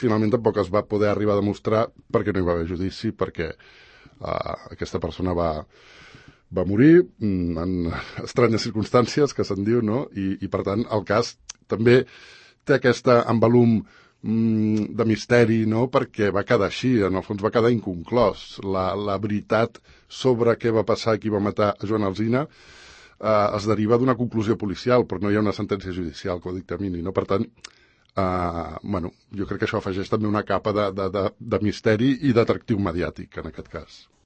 finalment tampoc es va poder arribar a demostrar perquè no hi va haver judici, perquè aquesta persona va morir en estranyes circumstàncies, que se'n diu, no? I per tant, el cas també té aquesta envolum de misteri, no? Perquè va quedar així, en el fons va quedar inconclòs. La veritat sobre què va passar i qui va matar a Joan Alsina es deriva d'una conclusió policial, però no hi ha una sentència judicial que ho dictamini, no? Per tant, jo crec que això afegeix també una capa de misteri i d'atractiu mediàtic, en aquest cas.